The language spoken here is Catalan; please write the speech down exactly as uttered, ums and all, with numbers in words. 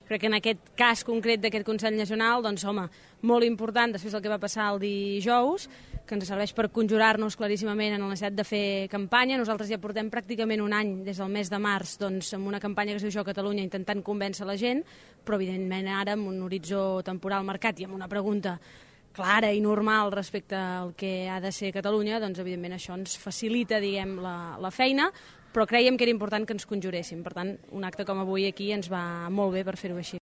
Crec que en aquest cas concret d'aquest Consell Nacional, doncs, home, molt important, després del que va passar el dijous, que ens serveix per conjurar-nos claríssimament en la necessitat de fer campanya. Nosaltres ja portem pràcticament un any, des del mes de març, doncs, amb una campanya que es diu Jo Catalunya, intentant convèncer la gent, però evidentment ara amb un horitzó temporal marcat i amb una pregunta clara i normal respecte al que ha de ser Catalunya, doncs evidentment això ens facilita, diguem, la, la feina, però creiem que era important que ens conjuréssim. Per tant, un acte com avui aquí ens va molt bé per fer-ho així.